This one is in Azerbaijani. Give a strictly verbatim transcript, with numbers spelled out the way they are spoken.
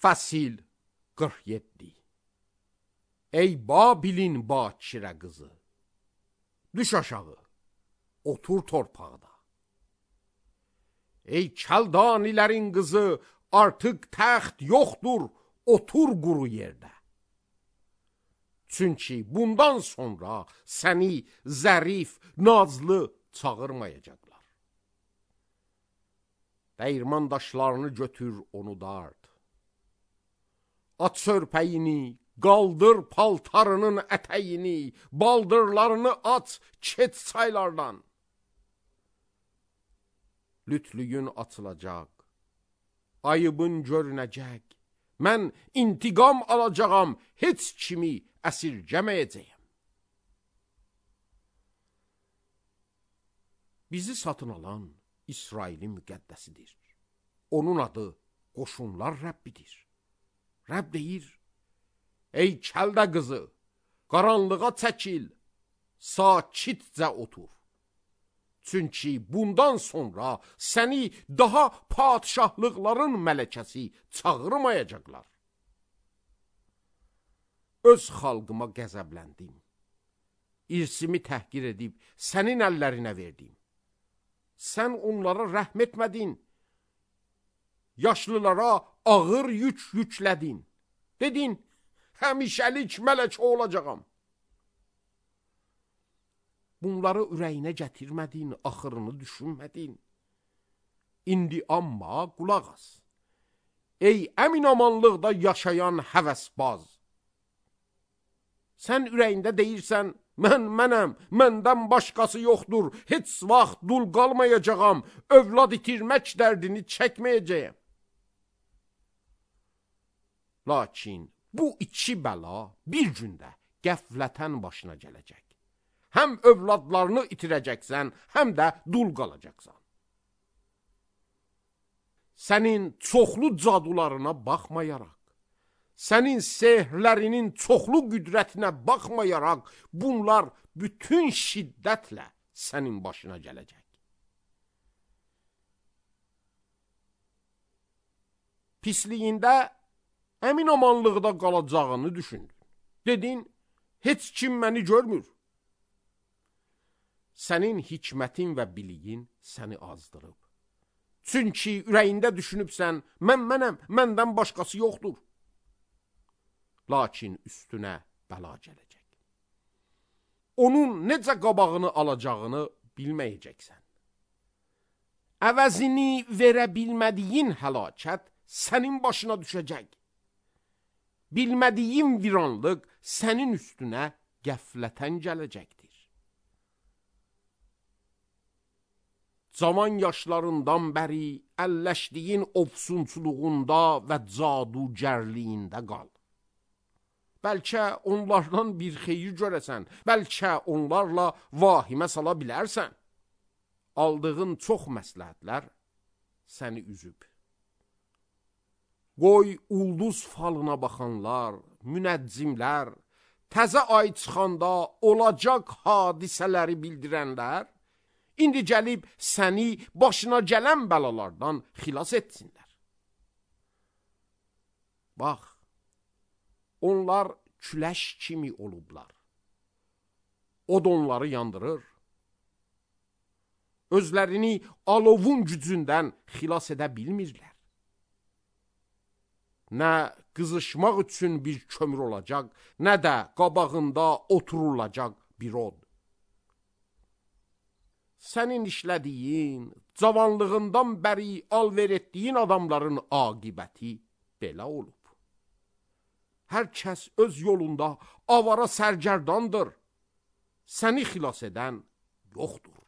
Fəsil qırx yeddi. Ey Babilin bakirə qızı, düş aşağı, otur torpaqda. Ey Kəldanilərin qızı, artıq təxt yoxdur, otur quru yerdə. Çünki bundan sonra səni zərif, nazlı çağırmayacaqlar. Dəyirman daşlarını götür, onu dart. At sörpəyini, qaldır paltarının ətəyini, baldırlarını at, keç çaylardan. Lütlüyün açılacaq, ayıbın görünəcək. Mən intiqam alacağam, heç kimi əsirgəməyəcəyəm. Bizi satın alan İsrailin müqəddəsidir. Onun adı qoşunlar Rəbbidir. Rəbb deyir, ey Kəldə qızı, qaranlığa çəkil, sakitcə otur. Çünki bundan sonra səni daha padişahlıqların mələkəsi çağırmayacaqlar. Öz xalqıma qəzəbləndim. İrsimi təhqir edib sənin əllərinə verdim. Sən onlara rəhm etmədin. Yaşlılara ağır yük yüklədin. Dedin, həmişəlik mələk olacağam. Bunları ürəyinə gətirmədin, axırını düşünmədin. İndi amma qulaq as. Ey əminamanlıqda yaşayan həvəsbaz. Sən ürəyində deyirsən, mən mənəm, məndən başqası yoxdur, heç vaxt dul qalmayacağam, övlad itirmək dərdini çəkməyəcəyəm. Lakin bu iki bəla bir gündə qəflətən başına gələcək. Həm övladlarını itirəcəksən, həm də dul qalacaqsan. Sənin çoxlu cadularına baxmayaraq, sənin sehrlərinin çoxlu qüdrətinə baxmayaraq, bunlar bütün şiddətlə sənin başına gələcək. Pisliyində əminamanlıqda qalacağını düşündün. Dedin, heç kim məni görmür. Sənin hikmətin və biliyin səni azdırıb. Çünki ürəyində düşünübsən, mən mənəm, məndən başqası yoxdur. Lakin üstünə bəla gələcək. Onun necə qabağını alacağını bilməyəcəksən. Əvəzini verə bilmədiyin həlakət sənin başına düşəcək. Bilmədiyin viranlıq sənin üstünə qəflətən gələcəkdir. Zaman yaşlarından bəri əlləşdiyin ofsunçuluğunda və cadugərliyində qal. Bəlkə onlardan bir xeyir görəsən, bəlkə onlarla vahimə sala bilərsən. Aldığın çox məsləhətlər səni üzüb. Qoy ulduz falına baxanlar, münəccimlər, təzə ay çıxanda olacaq hadisələri bildirənlər, İndi gəlib səni başına gələn bəlalardan xilas etsinlər. Bax, onlar küləş kimi olublar. Od onları yandırır. Özlərini alovun gücündən xilas edə bilmirlər. Nə qızışmaq üçün bir kömür olacaq, nə də qabağında oturulacaq bir od. Sənin işlədiyin, cavanlığından bəri alver etdiyin adamların aqibəti belə olub. Hər kəs öz yolunda avara sərgərdandır. Səni xilas edən yoxdur.